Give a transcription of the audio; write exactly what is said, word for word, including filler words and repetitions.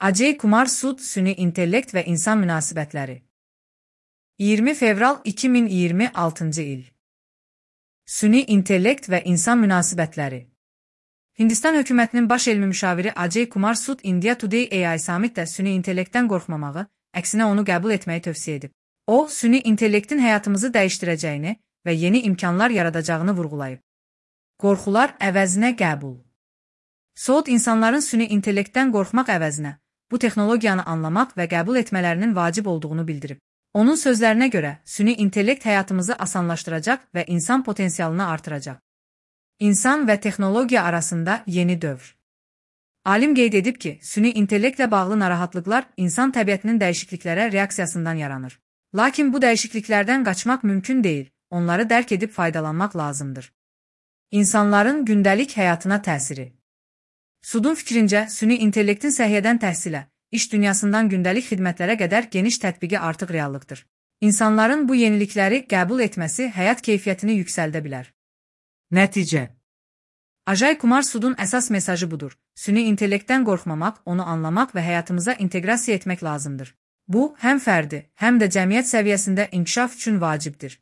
Ajay Kumar Sud, süni intellekt ve insan münasibətləri. iyirmi fevral iki min iyirmi altıncı il. Süni intellekt ve insan münasibətləri. Hindistan hökumətinin baş elmi müşaviri Ajay Kumar Sud India Today A I Summit'də süni intellektdən qorxmamağı, əksinə onu qəbul etməyi tövsiyə edib. O, süni intellektin həyatımızı dəyişdirəcəyini və yeni imkanlar yaradacağını vurğulayıb. Qorxular əvəzinə qəbul. Sud insanların süni intellektdən qorxmaq əvəzinə bu texnologiyanı anlamaq və qəbul etmələrinin vacib olduğunu bildirib. Onun sözlərinə görə, süni intellekt həyatımızı asanlaşdıracaq və insan potensialını artıracaq. İnsan və texnologiya arasında yeni dövr. Alim qeyd edib ki, süni intellektlə bağlı narahatlıqlar insan təbiətinin dəyişikliklərə reaksiyasından yaranır. Lakin bu dəyişikliklərdən qaçmaq mümkün deyil, onları dərk edib faydalanmaq lazımdır. İnsanların gündəlik həyatına təsiri. Sudun fikrincə, süni intellektin səhiyyədən təhsilə, iş dünyasından gündəlik xidmətlərə qədər geniş tətbiqi artıq reallıqdır. İnsanların bu yenilikləri qəbul etməsi həyat keyfiyyətini yüksəldə bilər. Nəticə. Ajay Kumar Sudun əsas mesajı budur. Süni intellektdən qorxmamaq, onu anlamaq və həyatımıza inteqrasiya etmək lazımdır. Bu, həm fərdi, həm də cəmiyyət səviyyəsində inkişaf üçün vacibdir.